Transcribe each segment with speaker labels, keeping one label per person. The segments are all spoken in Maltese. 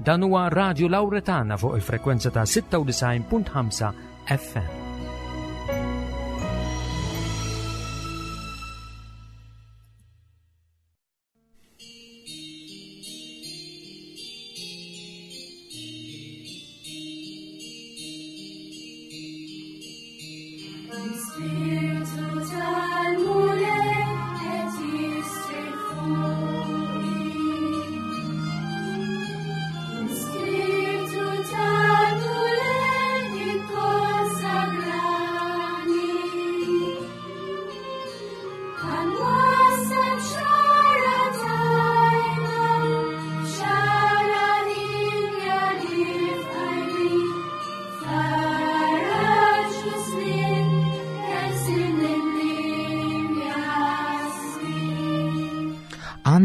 Speaker 1: Dan huwa Radio Lauretana fuq il-frekwenza ta' 96.5 FM.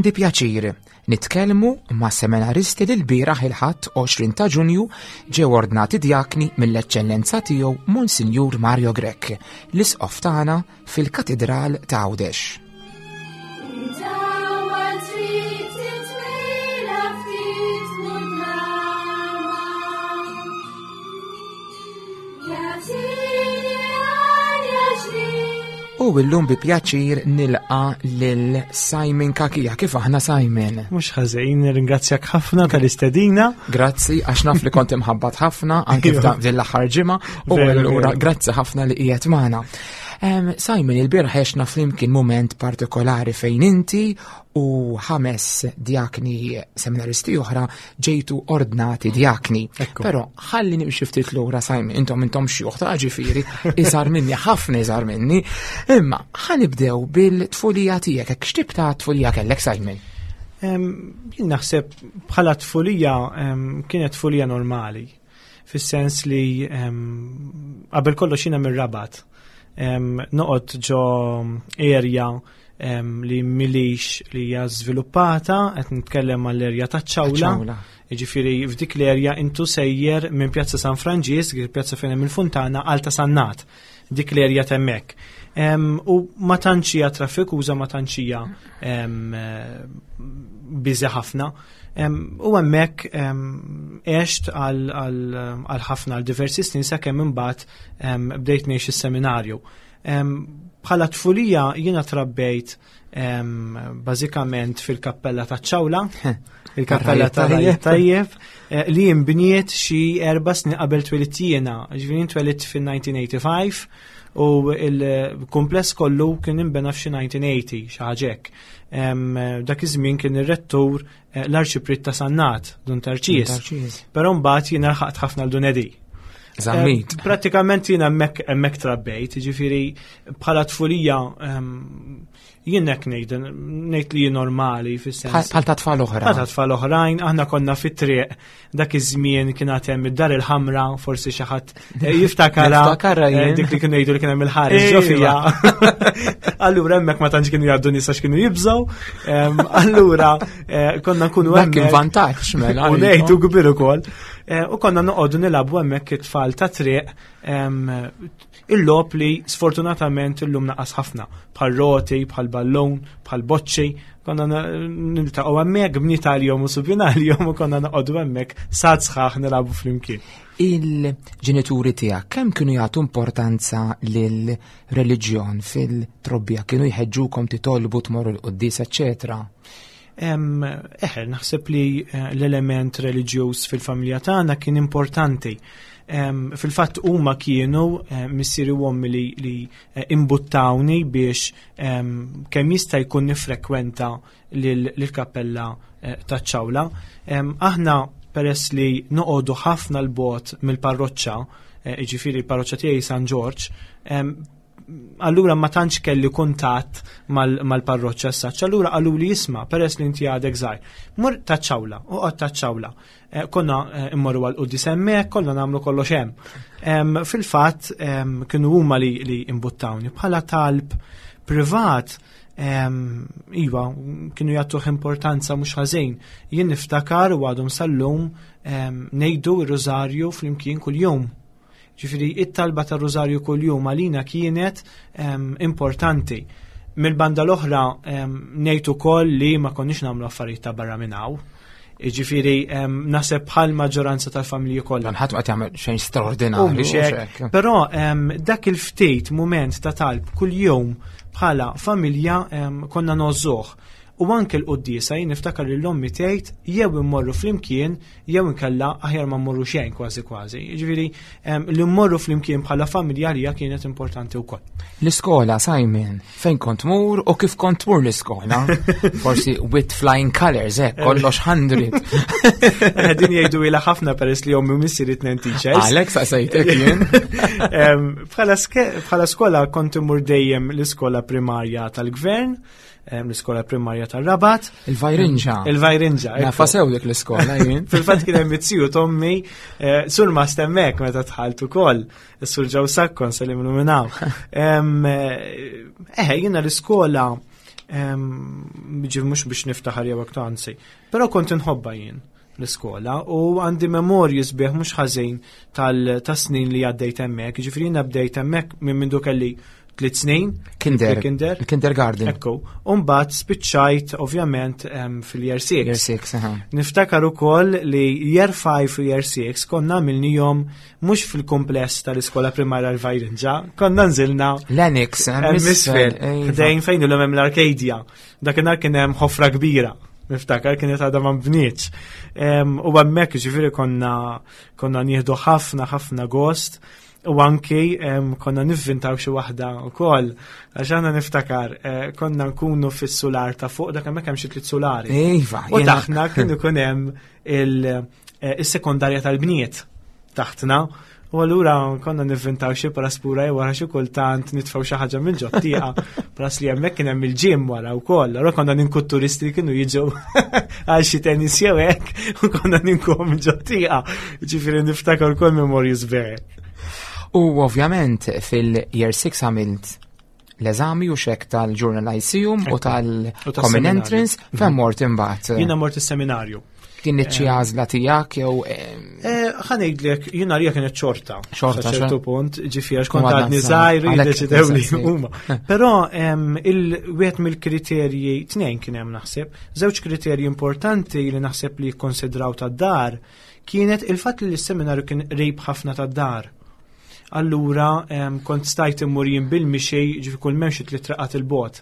Speaker 2: Għandi pjaċir nitkellmu ma' seminaristi li l-bieraħ il-Ħadd 20 ta' Ġunju ġew ordnati djakni mill-Eċċellenza tiegħu Monsinjur Mario Grech, l-Isqof tagħna fil-Katidral ta' Għawdex. U illum bi pjaċir nilqa lil Simon Kakija. Kif aħna Simon?
Speaker 3: Mhux ħażin, ringrazzjak ħafna tal-istedina.
Speaker 2: Grazzi, għax naf li kont imħabbat ħafna anke f'dan l-aħħar ġimgħa u allura grazzi ħafna li qiegħed magħna. Simon, il-bieraħ għexna flimkien mument partikolari fejn inti u ħames djakni seminaristi oħra ġejtu ordnati djakni. Però ħalli nimxi ftit lura Simon, intom intom xjuħ ta' ġifieri, iżgħar minni, ħafna iżgħar minni. Imma ħanibdew bil-tfulija tiegħek, hekk x'tip ta' tfulija kellek Simon?
Speaker 3: Jien naħseb bħala tfulija kienet tfulija normali. Fis-sens li qabel kollox jiena mir-Rabat. Noqgħod ġo area li milix li hija żviluppata, qed nitkellem mal-erja taċ-Ċawla. Jiġifieri f'dik l-erja intu sejjer minn Pjazza San Franġisk, il-pjazza fejn hemm il-funtana, għal ta' Sannat. Dik l-erja t'hemmhekk. U ma tantx hija traffikuża, ma tantx hija biżi ħafna. U hemmhekk għext għal ħafna għal diversi snin sakemm imbagħad bdejt ngħix is-seminarju. Bħala tfulija jiena trabbejt bażikament fil-kappella ta' ċawla, il-kappella ta' Tajjeb, eh, li jinbniet xi erba' snin qabel twelidt jiena, ġifieri twelidt fil-1985 u il-kumpless kollu kien inbena f'xi 1980 xi ħaġa hekk. Dak iż-żmien kien ir-rettur eh, l-arċipriet ta' Sannat, Dun Tarċis. Però mbagħad jiena lħaqt ħafna l Dun Edi.
Speaker 2: Zammit.
Speaker 3: Eh, prattikament jiena hemmhekk hemmhekk trabbejt, jiġifieri bħala tfulija Jien hekk ngħid, ngħid li normali fis-sens.
Speaker 2: Bħal ta' tfal oħra.
Speaker 3: Bħal ta' tfal oħrajn, aħna konna fit-triq dak iż-żmien kien għad hemm id-dar il-ħamra, forsi xi ħadd eh, jiftakara.
Speaker 2: Niftakara eh, jien.
Speaker 3: Dik li kienu jgħidu li kien hemm il-ħares ġo fija. Allura hemmhekk ma tantx kienu jgħaddu nies għax kienu jibżgħu. Allura eh, konna nkunu
Speaker 2: hemmhekk. Dak kien vantaġġ mela.
Speaker 3: U ngħidu kbir ukoll. U konna noqogħdu nilagħbu hemmhekk it-tfal ta' triq Il-logħob li sfortunatament illum naqas ħafna, bħal roti, bħal ballun, bħal boċċi, konna niltaqgħu hemmhekk bniet għalihom u subien għalihom u konna noqogħdu hemmhekk sad sħaħ nilagħbu flimkien.
Speaker 2: Il-ġenituri tiegħek kemm kienu jagħtu importanza lil reliġjon fil-trobbija, kienu jħeġġukom titolbu tmorru l-quddies, eċċetera?
Speaker 3: Eħe, naħseb li eh, l-element reliġjuż fil-familja tagħna kien importanti. Fil-fatt huma kienu eh, missieri u ommi li, li eh, imbuttawni biex kemm jista' jkun nifrekwenta lill-kappella taċ-ċawla. Aħna peress li noqogħdu ħafna l-bot mill-parroċċa, jiġifieri l-parroċċa tiegħi San Ġorġ, allura ma tantx kelli kuntatt mal-parroċċa s-saċ, allura qalu li jisma' peress li inti għadek żgħir. Mur taċ-ċawla, uqgħod taċ-ċawla. Eh, konna eh, immorru għal quddis hemmhekk, konna nagħmlu kollox hemm. Fil-fatt kienu huma li, li imbuttawni bħala talb privat Iva, kienu jagħtuh importanza mhux ħażin. Jien niftakar u għadhom sal-lum ngħidu r-rużarju flimkien kuljum. Ġifieri it-talba tar-Rużarju kuljum għalina kienet ehm, importanti. Mill-banda l-oħra ehm, ngħid ukoll li ma konniex nagħmlu affarijiet ta' barra minn hawn. Ġifieri naħseb bħal maġġoranza tal-familji kollha.
Speaker 2: Dan ħadd ma qed jagħmel xejn straordinarju.
Speaker 3: Però dak il-ftit mument ta' talb kuljum bħala familja konna nożżuh. U anke l-quddiesa jien niftakar li l-ommi tgħid jew immorru flimkien jew inkella aħjar ma mmorru xejn kważi kważi. Jiġifieri li mmorru flimkien bħala familja għalija kienet importanti wkoll.
Speaker 2: L-iskola, Simon, fejn kont mur u kif kont tmur l-iskola? Forsi with flying colors, eh, kollox 100.
Speaker 3: Eh, din jgħidu ila ħafna peress li ommi missieri tnejn teachers.
Speaker 2: Għalhekk saqsejtek jien.
Speaker 3: Bħala skola kont imur dejjem l-iskola primarja tal-gvern l-iskola primarja tar-Rabat.
Speaker 2: Il-Vajrinġa.
Speaker 3: Il-Vajrinġa.
Speaker 2: Nafa sew dik l-iskola jien.
Speaker 3: Fil-fatt kien hemm it-tiju tommi, eh, sur ma stemmek meta dħalt ukoll, is-sur ġew sakkon se li minnaw. Eh, eh, jiena l-iskola ġif mhux biex niftaħar jew hekk anzi, però kont inħobba jien l-iskola u għandi memorji sbieħ mhux ħażin tal-snin li għaddejt hemmhekk, ġifieri jiena bdejt hemmhekk minn mindu kelli tliet snin.
Speaker 2: Kinder. Kinder. Kindergarten.
Speaker 3: Ekku. Umbagħad spiċċajt ovvjament fil-year 6.
Speaker 2: Year 6, aha.
Speaker 3: Niftakar ukoll li year 5 u year 6 konna għamilnihom mhux fil-kumpless tal-iskola primarja l-Vajrinġa, konna nżilna
Speaker 2: L-Annex,
Speaker 3: misfel, ħdejn fejn illum hemm l-Arcadia. Dakinhar kien hemm ħofra kbira niftakar kienet għadha ma bnietx. U hemmhekk ġifieri konna konna nieħdu ħafna ħafna gost u anki konna nivvintaw xi waħda wkoll. Għax aħna niftakar eh, konna nkunu fis-sular ta' fuq dak hemmhekk hemm xi tliet sulari.
Speaker 2: Iva.
Speaker 3: U taħna kien ikun hemm eh, is-sekondarja tal-bniet taħtna. U allura konna nivvintaw xi praspura jew wara xi kultant nitfgħu xi ħaġa minn ġottieqa pras li hemmhekk kien hemm il-ġim wara wkoll. Allura konna ninku turisti li kienu jiġu għal xi tennis jew hekk u konna ninkuhom minn ġottieqa. Ġifieri niftakar ukoll memorji sbieħ.
Speaker 2: U ovvjament fil-year 6 għamilt l-eżami u xek tal-Journal Lyceum u tal-Common Entrance, fejn mort imbagħad.
Speaker 3: Jiena mort is-seminarju.
Speaker 2: Kien xi eh. għażla tiegħek jew
Speaker 3: eh, Ħa ngħidlek, jiena għalija kienet xorta.
Speaker 2: Xorta
Speaker 3: ċertu punt, ġifieri għax kont għadni żgħir jiddeċidew li huma. Però il-wieħed mill-kriterji tnejn kien hemm naħseb, żewġ kriterji importanti li naħseb li jikkonsidraw tad-dar kienet il-fatt li s-seminarju kien qrib ħafna tad-dar. Allura kont stajt immur jien bil-mixi ġifi kull m'hemm xi tliet traqat il-bot.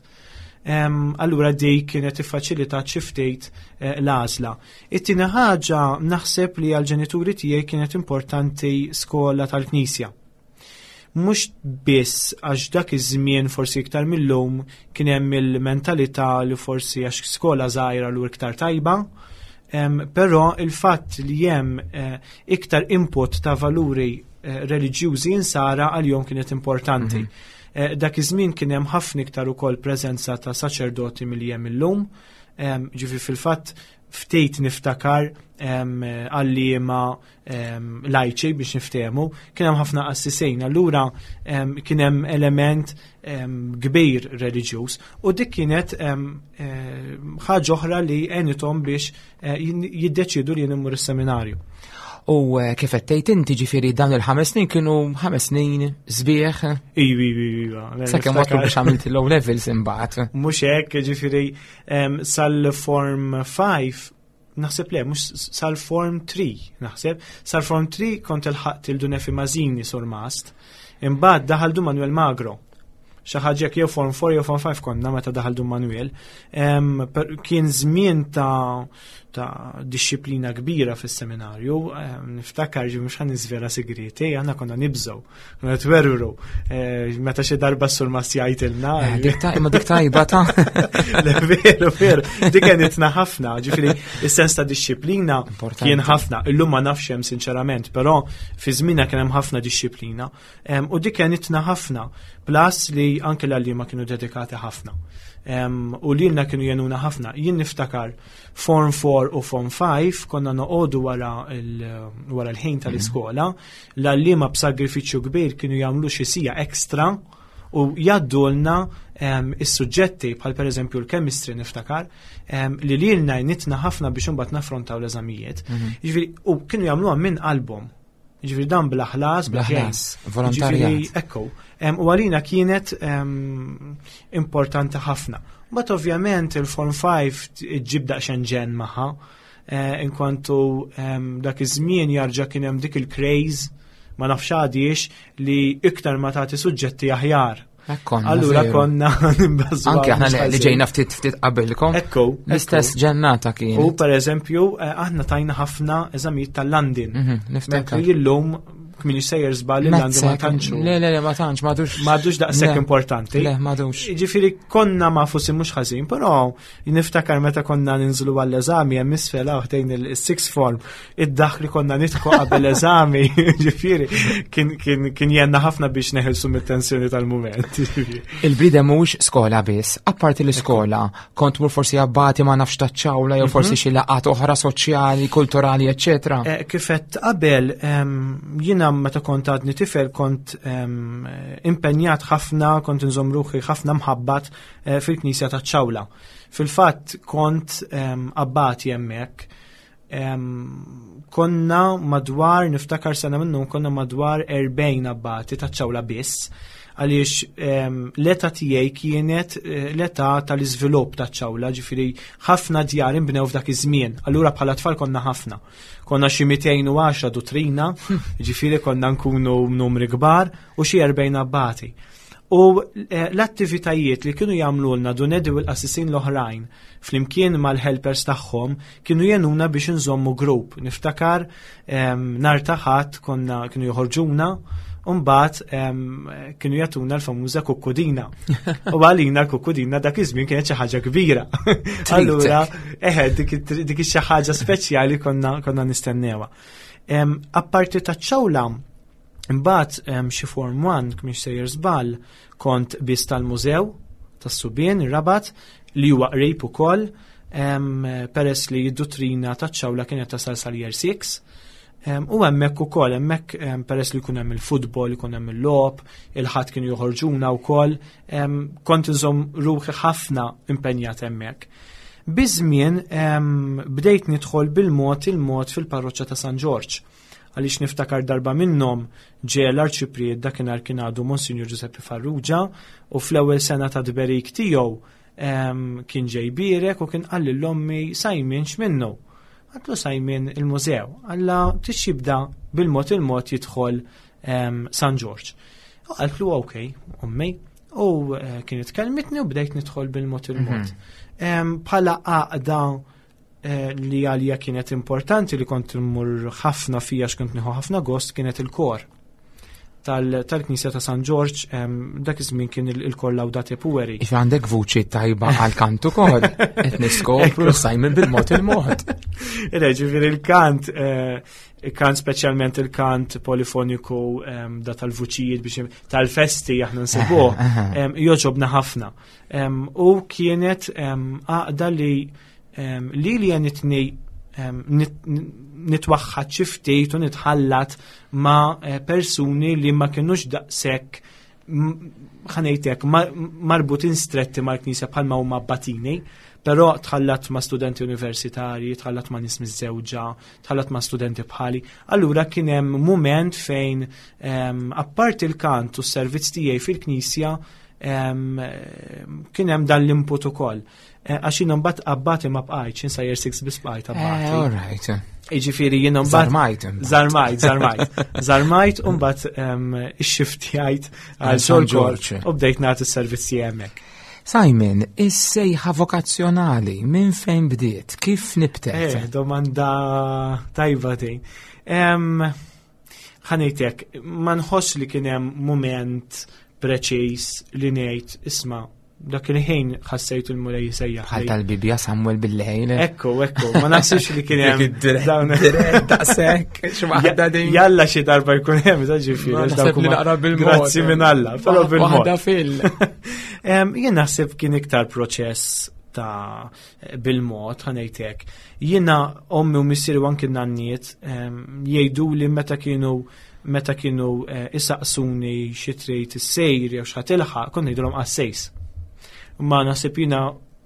Speaker 3: Allura dik kienet iffaċilitat xi ftit eh, l-għażla. It-tieni ħaġa naħseb li għall-ġenituri tiegħi kienet importanti skola tal-Knisja. Mhux biss għax dak iż-żmien forsi iktar mill-lum kien hemm il-mentalità li forsi għax skola żgħira l iktar tajba, però il-fatt li hemm eh, iktar input ta' valuri eh, reliġjużi insara għal-jom kienet importanti. Mm -hmm. Eh, dak iż-żmien kien hemm ħafna iktar ukoll preżenza ta' saċerdoti milli hemm illum. Ġifi fil-fatt ftit niftakar għalliema lajċi biex niftehmu, kien hemm ħafna qassisejn, allura kien hemm element kbir reliġjuż u dik kienet eh, ħaġa oħra li għenithom biex eh, jiddeċidu li jien is-seminarju.
Speaker 2: U eh, kif qed tgħid inti ġifieri dawn il-ħames snin kienu ħames snin sbieħ.
Speaker 3: Ivi, ivi, ivi.
Speaker 2: Sakemm waslu biex għamilt il-low levels imbagħad.
Speaker 3: Mhux hekk, ġifieri sal-form 5 naħseb le, mhux sal-form 3, naħseb. Sal-form 3 kont il-ħaqt il-Dunefi Mażini sur mast. Imbagħad daħal du Manuel Magro xi ħaġa jew form 4 jew form 5 konna meta daħal Dun Manuel. Kien żmien ta' ta' disċiplina kbira fis-seminarju, niftakar ġi mhux ħa niżvela segreti, aħna konna nibżgħu, konna twerwru, eh, meta xi darba s-sur mas jgħidilna.
Speaker 2: Eh, imma dik tajba ta'
Speaker 3: Le veru, veru, dik għenitna ħafna, ġifieri is-sens ta' disċiplina kien ħafna, illum ma nafx hemm sinċerament, però fi żmienna kien hemm ħafna disċiplina. U dik għenitna ħafna, plus li anke l-għalliema kienu dedikati ħafna. U lilna kienu jenuna ħafna. Jien niftakar Form 4 u Form 5 konna noqogħdu wara l-ħin tal-iskola, l-għalliema b'sagrifiċċju kbir kienu jagħmlu xi sija ekstra u jgħaddulna is-suġġetti bħal pereżempju l-chemistry niftakar li lilna jnitna ħafna biex imbagħad naffrontaw l-eżamijiet. Mhm. Jiġifieri u kienu jagħmluha minn qalbhom. Ġifieri dan bla ħlas,
Speaker 2: bla ħlas, volontarjat.
Speaker 3: Ekku, u għalina kienet importanti ħafna. But ovvjament il-Form 5 ġib daqsxejn ġen magħha. Inkwantu dak iż-żmien jarġa' kien hemm dik il-craze ma nafx għadiex li iktar ma tagħti suġġetti aħjar. Allura konna
Speaker 2: nimbażu. Anke aħna li ġejna ftit ftit qabilkom.
Speaker 3: Ekku.
Speaker 2: L-istess ġennata kien.
Speaker 3: U per eżempju, aħna tajna ħafna eżamijiet tal-London. Niftakar. Illum kmin sejjer żball li għandu ma tantx.
Speaker 2: Le, le, le, ma tantx, m'għadux.
Speaker 3: M'għadux daqshekk importanti.
Speaker 2: Le, m'għadux.
Speaker 3: Ġifieri konna ma fusi mhux ħażin, però niftakar meta konna ninżlu għall-eżami hemm isfel ħdejn il-six form, id-daħ li konna nidħku qabel eżami, ġifieri kien jenna ħafna biex neħilsu mit-tensjoni tal-mument.
Speaker 2: Il-bniedem mhuwiex skola biss, apparti l-iskola, kont mur forsi abbati ma nafx taċ-ċawla jew forsi xi laqgħat oħra soċjali, kulturali, eċċetera.
Speaker 3: Kif għedt qabel, jiena meta kont għadni tifel kont impenjat ħafna, kont inżomm ruħi ħafna mħabbat fil-Knisja taċ-Ċawla. Fil-fatt kont abbati hemmhekk. Konna madwar, niftakar sena minnhom konna madwar 40 abbati taċ-Ċawla biss, għaliex l-età tiegħi kienet l-età tal-iżvilupp taċ-Ċawla, ġifieri ħafna djar inbnew f'dak iż-żmien. Allura bħala tfal konna ħafna. Konna xi 210 duttrina, ġifieri konna nkunu numri kbar u xi 40 abbati. U l-attivitajiet li kienu jagħmlulna Dun Edi u l-qassisin l-oħrajn flimkien mal-helpers tagħhom kienu jenuna biex nżommu grupp. Niftakar nhar ta' Ħadd konna kienu joħorġuna u mbagħad kienu jagħtuna l-famuża kukkudina. U għalina l-kukkudina dak iż-żmien kienet xi ħaġa kbira. Allura, eħe, dik xi ħaġa speċjali konna nistennewha. Apparti taċ-ċawla, imbagħad xi form 1, mhix sejjer żball, kont biss tal-mużew tas-subien ir-Rabat li huwa qrib ukoll, peress li d-duttrina taċ-ċawla kienet tasal sal-year 6. U hemmhekk ukoll, hemmhekk peress li jkun hemm il-futbol, jkun hemm il-logħob, il-ħadd kienu joħorġuna wkoll, kont inżomm ruħi ħafna impenjat hemmhekk. Biż-żmien bdejt nidħol bil-mod il-mod fil-parroċċa ta' San Ġorġ. Għaliex niftakar darba minnhom ġie l-arċipriet dakinhar kien għadu Monsinjur Giuseppe Farrugia u fl-ewwel sena ta' tberik tiegħu kien ġej bierek u kien qal lil ommi Simon x'minnu. Għatlu Simon il-mużew, għalla tix jibda bil-mod il-mod jidħol San Ġorġ. U qaltlu ok, ommi, u kienet kelmitni u bdejt nidħol bil-mod il-mod. Bħala għaqda li għalija kienet importanti li kont immur ħafna fija x'kont nieħu ħafna gost kienet il-kor tal-Knisja ta' San Ġorġ, dak iż-żmien kien il-kor Laudate Pueri.
Speaker 2: If għandek vuċi tajba għal kant ukoll, qed niskopru Simon bil-mod il-mod.
Speaker 3: Ire, ġifieri il-kant, il-kant speċjalment il-kant polifoniku da tal-vuċijiet biex tal-festi aħna nsibuh, joġobna ħafna. U kienet għaqda li li għenitni nitwaħħad xi ftit u nitħallat ma' persuni li ma kinux daqshekk ħanejtek marbutin stretti mal-Knisja bħalma huma abbatini, però tħallat ma' studenti universitarji, tħallat ma' nies miżżewġa, tħallat ma' studenti bħali. Allura kien hemm mument fejn apparti il-kant u s-servizz tiegħi fil-Knisja kien hemm dan l-input ukoll. Għax jiena mbagħad abbati ma bqajtx, jien sa year 6 biss bqajt abbati.
Speaker 2: All right.
Speaker 3: Jiġifieri jiena mbagħad
Speaker 2: Żarmajt imbagħad.
Speaker 3: Żarmajt, żarmajt. Żarmajt u mbagħad ixxiftjajt għal
Speaker 2: Għal San
Speaker 3: San Ġorġ
Speaker 2: Ġorġ.
Speaker 3: u bdejt nagħti s-servizzi hemmhekk.
Speaker 2: Simon, is-sejħa vokazzjonali minn fejn bdiet? Kif nibtet?
Speaker 3: Domanda tajba din. Ħanejtek, ma nħoss li kien hemm mument preċiż li ngħid isma' dak il-ħin ħassejt il-Mulej jsejjaħ.
Speaker 2: Bħal tal-Bibja Samuel bil-lejl.
Speaker 3: Ekku, ekku, ma naħsibx li kien hemm
Speaker 2: Dik id-dirett,
Speaker 3: dawn
Speaker 2: dirett daqshekk, xi waħda din.
Speaker 3: Jalla xi darba jkun hemm, ta' ġifieri,
Speaker 2: Ma
Speaker 3: għax
Speaker 2: naħseb
Speaker 3: dawk
Speaker 2: li
Speaker 3: huma
Speaker 2: naqra bil-mod.
Speaker 3: Grazzi minn Alla, però bil-mod.
Speaker 2: Waħda fil.
Speaker 3: Jien naħseb kien iktar proċess ta' bil-mod, ħanejtek. Jiena ommi u missieri u anki nanniet jgħidu li meta kienu isaqsuni xi trid issejr jew x'ħa tilħaq, kont ngħidulhom qassejs. Ma naħseb jiena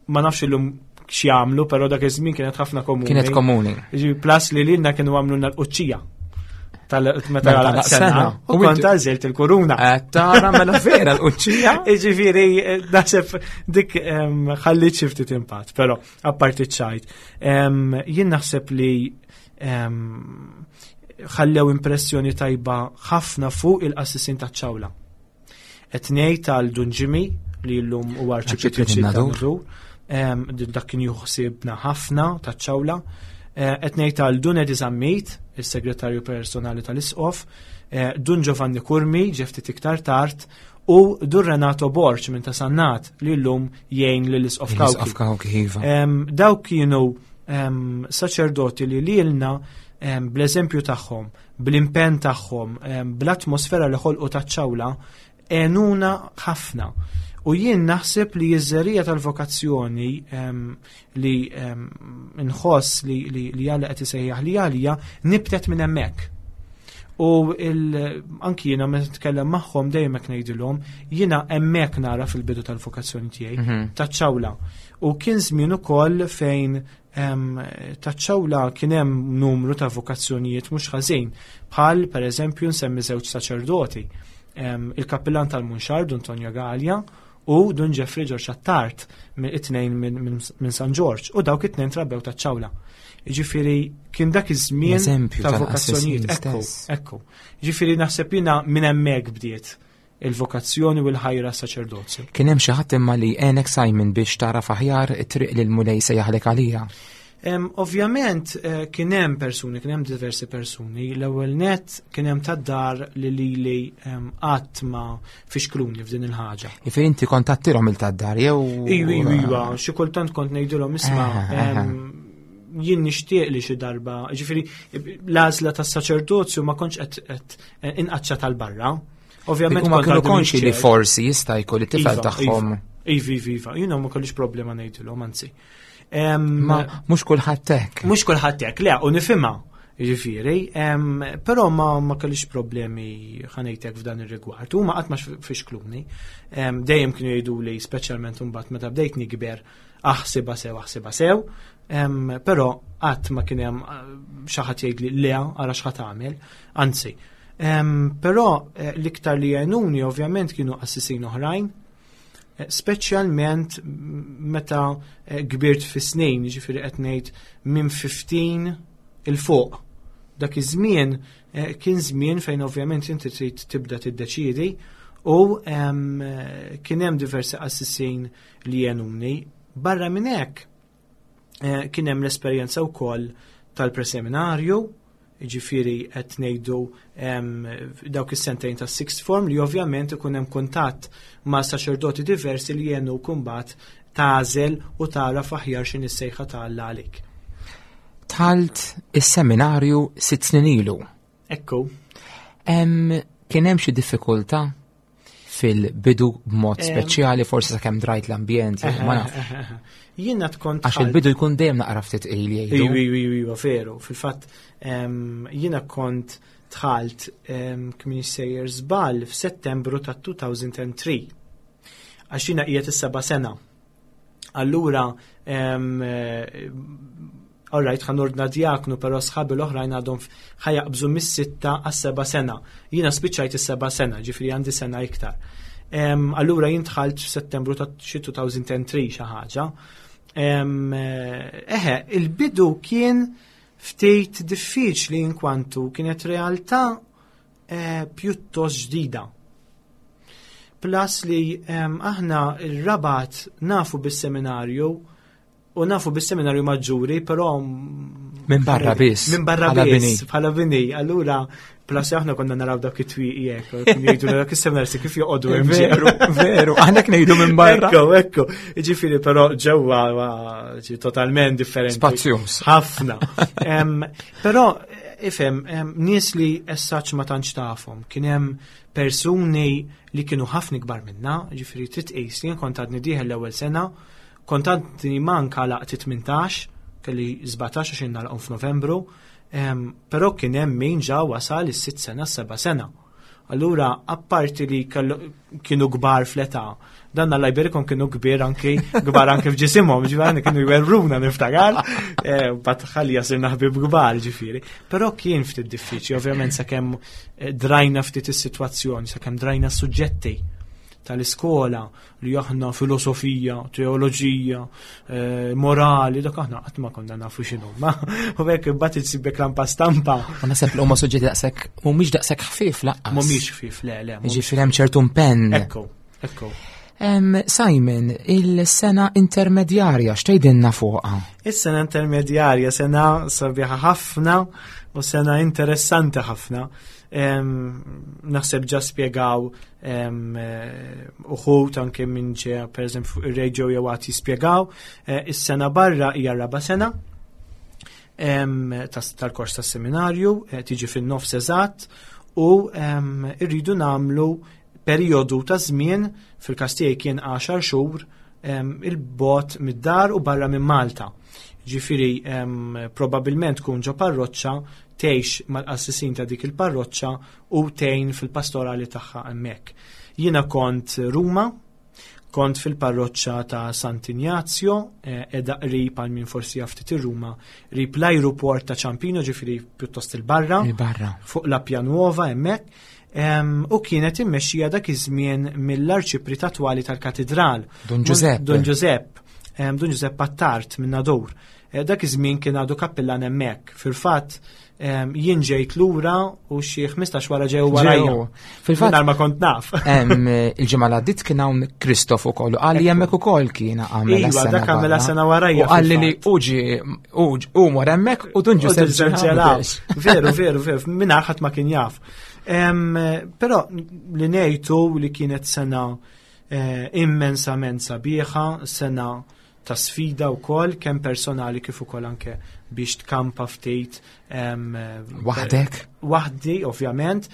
Speaker 3: ma nafx illum x'jagħmlu, però dak iż-żmien kienet ħafna komuni.
Speaker 2: Kienet komuni.
Speaker 3: Ġifieri, plus li lilna kienu għamlu l-quċċija. Tal-meta għalaq sena. U kont għażilt il-kuruna.
Speaker 2: Tara mela vera l-quċċija.
Speaker 3: Jiġifieri eh, naħseb dik ħallit xi ftit impatt, però apparti ċajt. Jien naħseb li ħallew impressjoni tajba ħafna fuq il-qassisin taċ-ċawla. Qed ngħid għal Dun Jimmy li llum huwa arċipriet tan-Nadur, dak kien juħsibna ħafna taċ-ċawla. Eh, qed ngħid għal Dun Edi Zammit, is-segretarju personali tal-Isqof, eh, Dun Giovanni Curmi, ġeftit iktar tard, u Dun Renato Borg minn ta' Sannat li llum jgħin lill-Isqof
Speaker 2: Kawki. Iva.
Speaker 3: Dawk kienu saċerdoti li lilna bl-eżempju tagħhom, bl-impenn tagħhom, bl-atmosfera li ħolqu taċ-ċawla, għenuna ħafna. U jien naħseb li ż-żerija tal-vokazzjoni li nħoss li li Alla qed isejjaħ li għalija nibtet minn hemmhekk. U anki jiena meta nitkellem magħhom dejjem hekk ngħidilhom, jiena hemmhekk nara fil-bidu tal-vokazzjoni tiegħi, mhm. taċ-ċawla. U kien żmien ukoll fejn Taċ-ċawla kien hemm numru ta' vokazzjonijiet mhux ħażin, bħal pereżempju nsemmi żewġ saċerdoti, il-kappillan tal-Munxar Dun Tonio Galea u Dun Jeffrey Ġorġ Attard, it-tnejn minn San Ġorġ, u dawk it-tnejn trabbew taċ-ċawla. Ġifieri kien dak iż-żmien ta' vokazzjonijiet. Ekku, ekku. Ġifieri naħseb jiena minn hemmhekk bdiet il-vokazzjoni u l-ħajra saċerdozju.
Speaker 2: Kien hemm xi ħadd imma li għenek Simon biex tagħraf aħjar it-triq li l-Mulej sejjaħlek għalija?
Speaker 3: Ovvjament eh, kien hemm persuni, kien hemm diversi persuni. L-ewwel net kien hemm tad-dar li lili qatt ma fixkluni f'din il-ħaġa.
Speaker 2: Jifieri inti kont tattilhom il tad-dar jew
Speaker 3: Iva, iva, iva, xi kultant kont ngħidilhom isma' eh, eh, jien nixtieq li xi darba, ġifieri l-għażla tas-saċerdozju ma kontx qed inqaċċa tal-barra.
Speaker 2: Ovvjament ma kienu konxi li forsi jista' jkun li tifel iva, tagħhom.
Speaker 3: Iva, iva, iva, jiena ma kellix problema ngħidilhom, anzi.
Speaker 2: Ma mhux kulħadd hekk.
Speaker 3: Mhux kulħadd hekk, le, u nifhimha. Ġifieri, però ma ma kellix problemi ħanejtek f'dan ir-rigward. Huma qatt ma fixkluni. Dejjem kienu jgħiduli speċjalment imbagħad meta bdejt nikber aħsibha sew, aħsibha sew, però qatt ma kien hemm eh, xi ħadd jgħidli le ara x'ħadd tagħmel, anzi. Però eh, l-iktar li għenuni ovvjament kienu qassisin oħrajn, eh, speċjalment meta kbirt fi snin, ġifieri qed ngħid minn 15 il fuq. Dak iż-żmien kien żmien fejn ovvjament inti trid tibda tiddeċiedi u kien hemm diversi qassisin li għenuni. Barra minn hekk eh, kien hemm l-esperjenza wkoll tal-preseminarju, ġifiri qed ngħidu dawk is-sentejn tas sixth form li ovvjament ikun hemm kuntatt ma' saċerdoti diversi li jenu kumbat tażel u tara aħjar x'in is-sejħa ta' Alla għalik.
Speaker 2: Talt is-seminarju sitt snin ilu.
Speaker 3: Ekku.
Speaker 2: Kien hemm xi diffikultà fil-bidu b'mod speċjali, forsi sakemm drajt l-ambjent, ma nafx.
Speaker 3: Jiena tkont.
Speaker 2: Għax il-bidu jkun dejjem naqra ftit il
Speaker 3: jgħidu. Iwa, iwa, iwa, veru. Fil-fatt, jiena kont dħalt kmin sejjer żball f'Settembru ta' 2003. Għax jiena qiegħed is-seba' sena. Allura, eh, all right, ħan ordna djaknu, pero sħabi l-oħrajn għadhom ħajaqbżu mis-sitta għas-seba' sena. Jiena spiċċajt is-seba' sena, ġifri għandi sena iktar. Allura jien dħalt f'Settembru ta' xi 2003 xi ħaġa. Eh, eħe, il-bidu kien ftit diffiċli inkwantu kienet realtà eh, pjuttost ġdida. Plus li aħna il-Rabat nafu bis-seminarju u nafu bis-seminarju maġġuri, però
Speaker 2: minn barra biss.
Speaker 3: Minn barra biss, bħala bini. Allura, plus aħna konna naraw dak it-twieqi hekk, jgħidu dak is-seminarji kif joqogħdu
Speaker 2: hemm. Veru, veru, aħna ngħidu minn barra.
Speaker 3: Ekku, ekku. Ġifieri però ġewwa totalment differenti.
Speaker 2: Spazzjuż.
Speaker 3: Ħafna. Però ifhem, nies li essaċ ma tantx tafhom, kien hemm persuni li kienu ħafna ikbar minna, ġifieri trid tqis li kont għadni dieħel l-ewwel sena, kont għadni manka laqti 18, kelli 17 għax nagħlqhom f'Novembru, però kien hemm min ġa wasal is-sitt sena, s-seba' sena. Allura, apparti li kienu kbar fl-età, dan Alla jberikhom kienu kbir anki kbar anki f'ġisimhom, ġifieri kienu jwerruna niftakar, eh, bat ħalli jasirna ħbib kbar ġifieri. Però kien ftit diffiċli, ovvjament sakemm eh, drajna ftit is-sitwazzjoni, sakemm drajna s-suġġetti tal-iskola li aħna filosofija, teoloġija, eh, morali, dak aħna qatt ma konna nafu x'inhu. Ma u hekk imbagħad issibek lampa stampa.
Speaker 2: U naħseb li huma suġġetti daqshekk mhumiex daqshekk ħfief
Speaker 3: laqqas. Mhumiex ħfief, le, le.
Speaker 2: Jiġifieri hemm ċertu impenn.
Speaker 3: Ekku, ekku.
Speaker 2: Simon, il-sena intermedjarja x'tgħidilna fuqha?
Speaker 3: Is-sena intermedjarja sena sabiħa ħafna u sena interessanti ħafna. Naħseb ġa spjegaw eh, uħut anke minn ġe pereżempju fuq ir-radio jew għad jispjegaw. Eh, is-sena barra hija raba sena tal-kors tas-seminarju, eh, tiġi fin-nofs eżatt u irridu nagħmlu perjodu ta' żmien fil-każ tiegħi kien 10 xhur il-bot mid-dar u barra minn Malta. Ġifieri probabbilment tkun ġo parroċċa tgħix mal-qassisin ta' dik il-parroċċa u tgħin fil-pastorali tagħha hemmhekk. Jiena kont Ruma, kont fil-parroċċa ta' Sant'Ignazio, eh, edha qrib għal min forsi jaf ftit ir-Ruma, qrib l-ajruport ta' Ciampino, ġifieri pjuttost il-barra.
Speaker 2: Il-barra.
Speaker 3: Fuq la Pianuova hemmhekk. U kienet immexxija dak iż-żmien mill-arċipriet attwali tal-katedral.
Speaker 2: Don Giuseppe.
Speaker 3: Don Giuseppe. Don Giuseppe Attard minn Nadur. Eh, dak iż-żmien kien għadu kappillan hemmhekk. Fil-fatt jien ġejt lura u xi 15 wara ġew warajja.
Speaker 2: Fil-fatt
Speaker 3: ma kont naf.
Speaker 2: Il-ġimgħa l għaddit kien hawn Kristof ukoll u qal li hemmhekk ukoll kien
Speaker 3: għamel iva, dak għamel sena warajja.
Speaker 2: U qal li uġi u mor hemmhekk u Dun
Speaker 3: Ġusepp Veru, veru, veru, mingħajr ħadd ma kien jaf. Però li ngħidu li kienet sena eh, immensament sabiħa, sena ta' sfida wkoll kemm personali kif ukoll anke biex tkampa ftit
Speaker 2: waħdek.
Speaker 3: Waħdi ovvjament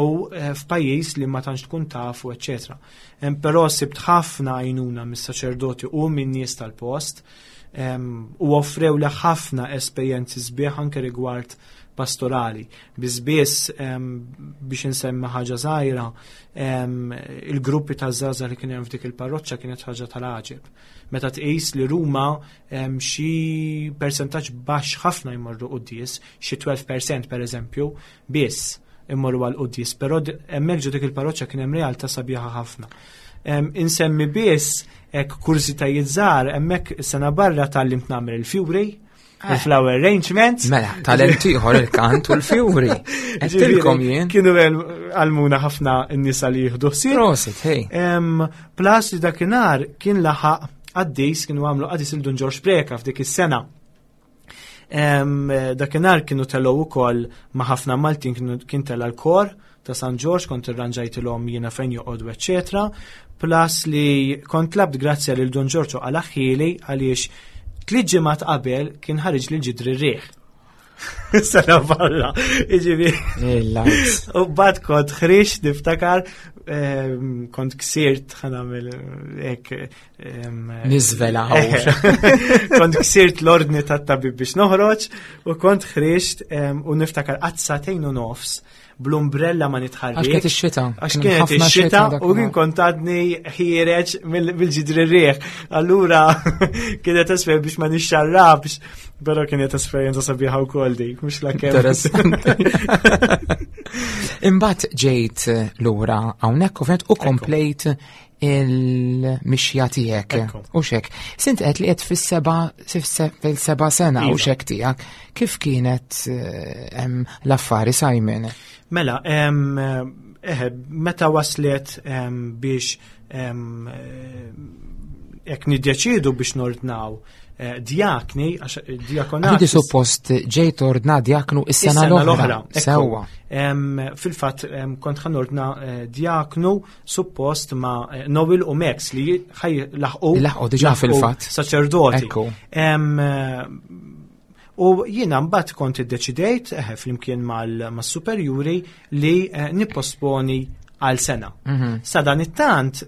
Speaker 3: u eh, f'pajjiż li ma tantx tkun tafu eċċetera. Però sibt ħafna għajnuna mis-saċerdoti u min-nies tal-post u offrew li ħafna esperjenzi sbieħ anke rigward pastorali. Biss biss biex insemmi ħaġa żgħira, il-gruppi ta' żgħażagħ li kien hemm f'dik il-parroċċa kienet ħaġa tal-għaġeb. Meta tqis li Ruma xi persentaġġ baxx ħafna jmorru quddies, xi 12% pereżempju, biss immorru għal quddies, però hemmhekk ġo dik il-parroċċa kien hemm realtà sabiħa ħafna. Insemmi biss hekk kurżitajiet żgħar hemmhekk sena barra tgħallimt nagħmel il-fjuri, Eh. Il-flower arrangements.
Speaker 2: Mela, talent ieħor il-kant u l-fjuri. Għedtilkom jien.
Speaker 3: Kienu għalmuna ħafna n-nisa li jieħdu ħsieb.
Speaker 2: Prosit, hej.
Speaker 3: Plus li dakinhar kien laħaq qaddis kienu għamlu qaddis il-Dun Ġorġ Preka f'dik is-sena. Dakinhar kienu telgħu ukoll ma' ħafna Maltin kien tela l-kor ta' San Ġorġ kont irranġajtilhom jiena fejn joqogħdu eċċetera. Plus li kont labt grazzja lil Dun Ġorġ u qalaħħieli għaliex tliet ġimgħat qabel kien ħareġ lil ġidri r-riħ. Sena barra, iġibi. U bad kont ħriġ niftakar, ehm, kont ksirt ħanamil ek.
Speaker 2: Ehm, Nizvela
Speaker 3: Kont ksirt l-ordni tat-tabib biex noħroġ u kont ħriġt ehm, u niftakar qatt u nofs bl-umbrella ma nitħarrik.
Speaker 2: Għax kienet ix-xita.
Speaker 3: Għax kienet ix-xita u kien kont għadni ħiereġ mill-ġidri rieħ. Allura kienet esper biex ma nixxarrabx, però kienet esperjenza sabiħa wkoll dik, mhux la
Speaker 2: kemm. Interessanti. Imbagħad ġejt lura hawnhekk u komplejt il-mixja tiegħek. U xek. Sint qed li qed fis-seba fil-seba sena u iva. xek tiegħek. Kif kienet eh, l-affari Simon?
Speaker 3: Mela, eh, meta waslet biex eh, jekk niddeċiedu biex nordnaw Eh, djakni, għax eh,
Speaker 2: diakonat. Għandi suppost ġejt ordna djaknu is-sena l-oħra.
Speaker 3: Sewwa. Fil-fatt kont ħan ordna eh, djaknu suppost ma' Noel u Max li ħaj laħqu.
Speaker 2: Laħqu diġà fil-fatt.
Speaker 3: Saċerdoti. U jiena mbagħad kont iddeċidejt flimkien mal-superjuri li nipposponi għal sena. Mhm. Sa dan it-tant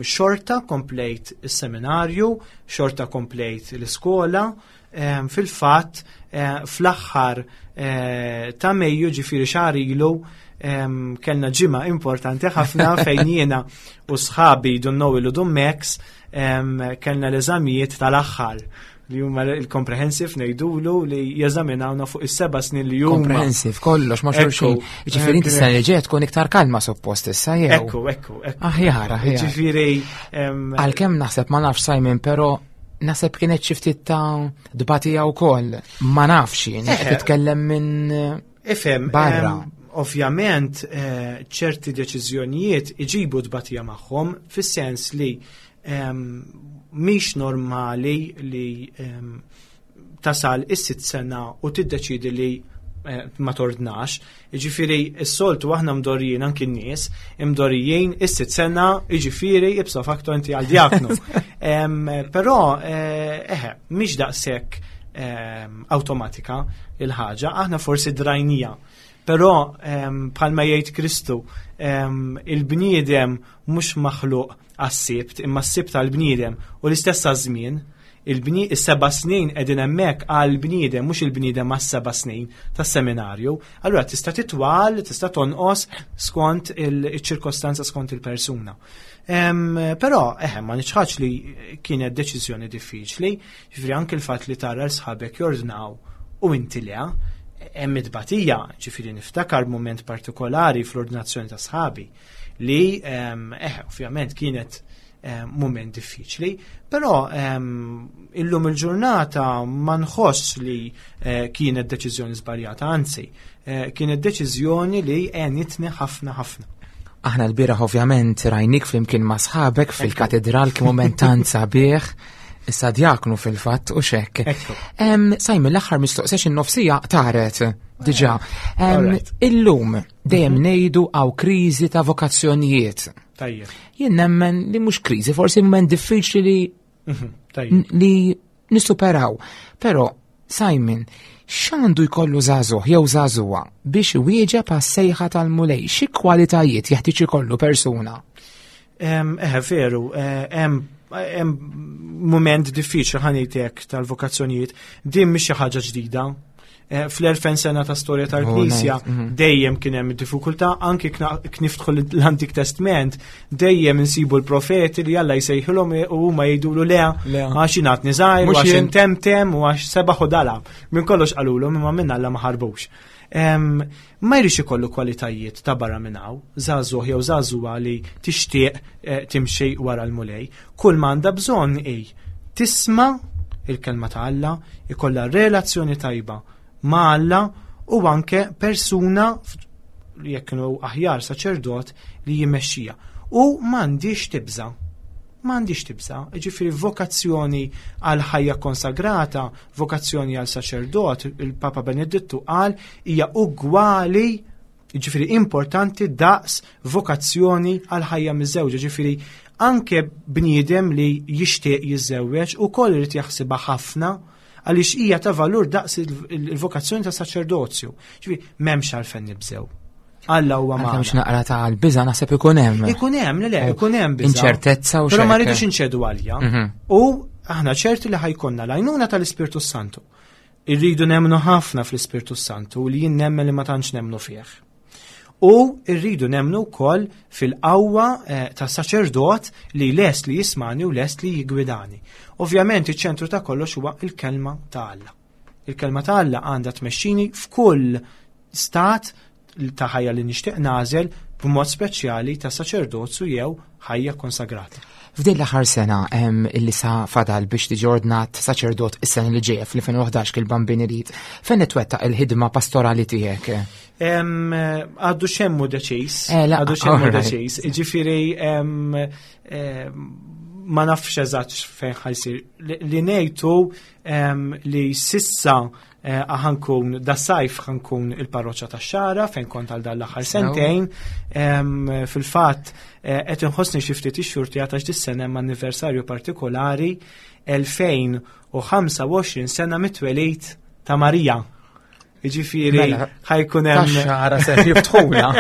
Speaker 3: xorta komplejt is-seminarju, xorta komplejt l-iskola, Fil-fatt fl-aħħar ta' Mejju ġifieri xahar ilu kellna ġimgħa importanti ħafna fejn jiena u sħabi Dun Noel u Dun Max kellna l-eżamijiet tal-aħħar li huma il-comprehensive ngħidulu li jeżaminawna fuq is-seba' snin li huma.
Speaker 2: Comprehensive, kollox ma xulxin. Ġifieri inti sena li ġejja tkun iktar kalma suppost issa jew.
Speaker 3: Ekku, ekku,
Speaker 2: ekku. Aħjar, aħjar.
Speaker 3: Ġifieri.
Speaker 2: Għalkemm naħseb ma nafx Simon, però naħseb kienet xi ftit ta' dbatija wkoll. Ma nafx jien, qed titkellem minn
Speaker 3: Ifhem,
Speaker 2: barra.
Speaker 3: Ovvjament ċerti deċiżjonijiet iġibu tbatija magħhom fis-sens li mhix normali li tasal is-sitt sena u tiddeċidi li eh, ma tordnax. Jiġifieri s-soltu aħna mdorrijin anki n-nies, imdorrijin is-sitt sena, jiġifieri ipso facto inti għal djaknu. Però eh, eħe, mhix daqshekk awtomatika il-ħaġa, aħna forsi drajnija. Però bħalma jgħid Kristu, il-bniedem mhux maħluq għas-Sibt, imma s-Sibt għall-bniedem u l-istess għaż-żmien. Il-bni, is-seba' snin qegħdin hemmhekk għall-bniedem, mhux il-bniedem għas-seba' snin tas-seminarju. Allura tista' titwal, tista' tonqos skont il-ċirkostanza skont il-persuna. Però, eħe, ma niċħadx li kienet deċiżjoni diffiċli, ġifieri anke l-fatt li tara l sħabek jordnaw u inti le, hemm it-tbatija, ġifieri niftakar mument partikolari fl-ordinazzjoni ta' sħabi li eh, ovvjament kienet moment diffiċli, però illum il-ġurnata ma nħoss li eh, kienet deċiżjoni żbaljata, anzi, eh, kienet deċiżjoni li għenitni ħafna ħafna.
Speaker 2: Aħna l-bieraħ ovvjament rajnik flimkien ma' sħabek fil-katedral kien moment tant sabiħ. Issa djaknu fil-fatt u xekk. Sajmi l-aħħar mistoqsex in-nofsija taret diġà. Illum dejjem mhm. ngħidu għaw kriżi ta' vokazzjonijiet.
Speaker 3: Tajjeb.
Speaker 2: Jien nemmen li mhux kriżi, forsi moment diffiċli li
Speaker 3: mhm,
Speaker 2: li nissuperaw. Però Simon, x'għandu jkollu żagħżugħ jew żagħżugħa biex iwieġeb għas-sejħa tal-Mulej? Xi kwalitajiet jeħtieġ ikollu persuna?
Speaker 3: Eħe, veru, eh, hemm moment diffiċli ħanejtek tal-vokazzjonijiet, din mhix xi ħaġa ġdida. Eh, fl-2000 sena ta' storja tal-Knisja oh, mhm. dejjem kien hemm diffikultà anki kniftħu l-Antik Testament dejjem insibu l-profeti li Alla jsejħilhom u huma jgħidulu le għax ingħatni żgħir u għax intemtem u għax sebaħ u dala. Minn kollox qalulhom imma minn Alla ma ħarbux. Ma jridx ikollu kwalitajiet ta' barra minn hawn, żagħżugħ jew żagħżugħa li tixtieq eh, timxi wara l-Mulej. Kull ma għandha bżonn hi tisma' il-kelma ta' Alla, ikollha relazzjoni tajba ma' Alla u anke persuna jekk kienu aħjar saċerdot li jimexxija. U m'għandix tibża. M'għandix tibża, ġifieri vokazzjoni għal ħajja konsagrata, vokazzjoni għal saċerdot, il-Papa Benedittu qal hija ugwali Jiġifieri importanti daqs vokazzjoni għal ħajja miżżewġa, ġifieri anke bniedem li jixtieq jiżżewweġ ukoll irid jaħsibha ħafna għaliex hija ta' valur daqs il-vokazzjoni ta' saċerdozju. Ġifieri m'hemmx għalfejn nibżew. Alla huwa
Speaker 2: ma. Hemmx naqra ta' l-biża naħseb ikun hemm.
Speaker 3: Ikun hemm, le le, ikun hemm biża.
Speaker 2: Inċertezza u
Speaker 3: Però ma rridux inċedu għalja. Mhm. U aħna ċerti li ħajkonna l-għajnuna tal-Ispirtu Santu. Irridu nemmnu ħafna fl-Ispirtu Santu li jien nemmen li ma tantx nemmnu fih. U rridu nemmnu wkoll fil-qawwa eh, ta' saċerdot li lest li jismani u lest li jigwidani. Ovvjament iċ-ċentru ta' kollox huwa il-kelma ta' Alla. Il-kelma ta' Alla għandha tmexxini f'kull stat ta' ħajja li nixtieq nagħżel b'mod speċjali ta' saċerdozju jew ħajja konsagrata.
Speaker 2: F'din l-aħħar sena illi sa fadal biex tiġi ordnat saċerdot is-sena li ġejja fl-2011 kil-Bambin irid, fejn twettaq il-ħidma pastorali tiegħek?
Speaker 3: Għaddu xemmu deċiż. Eh, għaddu xemmu deċiż. Ġifieri ma nafx eżatt fejn ħajsir. Li ngħidu li sissa Eh, ħankun da sajf ħankun il-parroċċa ta' xara fejn kont għal dan l-aħħar sentejn. Fil-fatt eh, qed inħossni xi ftit ix-xurti għatax dis-sena hemm anniversarju partikolari 2025 sena mit-twelid ta' Marija. Jiġifieri
Speaker 2: Mela,
Speaker 3: ħajkun hemm
Speaker 2: Tax-xara se jiftħuna.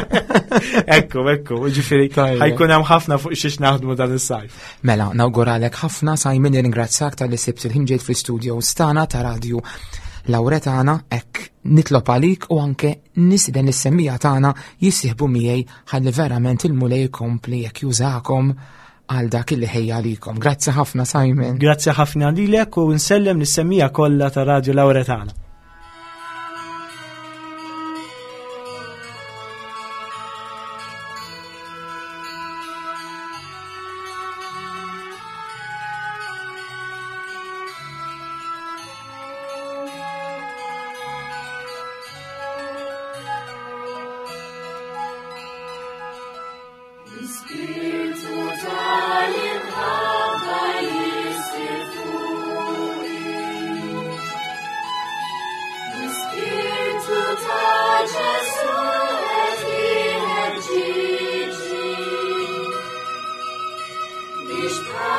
Speaker 3: Ekku, ekku, jiġifieri ħajkun hemm ħafna fuq xiex naħdmu dan is-sajf.
Speaker 2: Mela, nawguralek ħafna Simon nirringrazzjak talli sibt il-ħin ġejt fl-istudio stana ta' radju Lauretana hekk nitlob għalik u anke nisiden is-semmija tagħna jissieħbu miegħi ħalli verament il-Mulej jkompli jekk jużakom għal dak li ħejja għalikom. Grazzi ħafna Simon.
Speaker 3: Grazzi ħafna lilek u nsellem lis-semmija kollha ta' Radio Lauretana.
Speaker 4: L-Ispirtu tal-imħabba jisir fuqi. L-Ispirtu ta' Ġesù qed iħeġġiġni biex.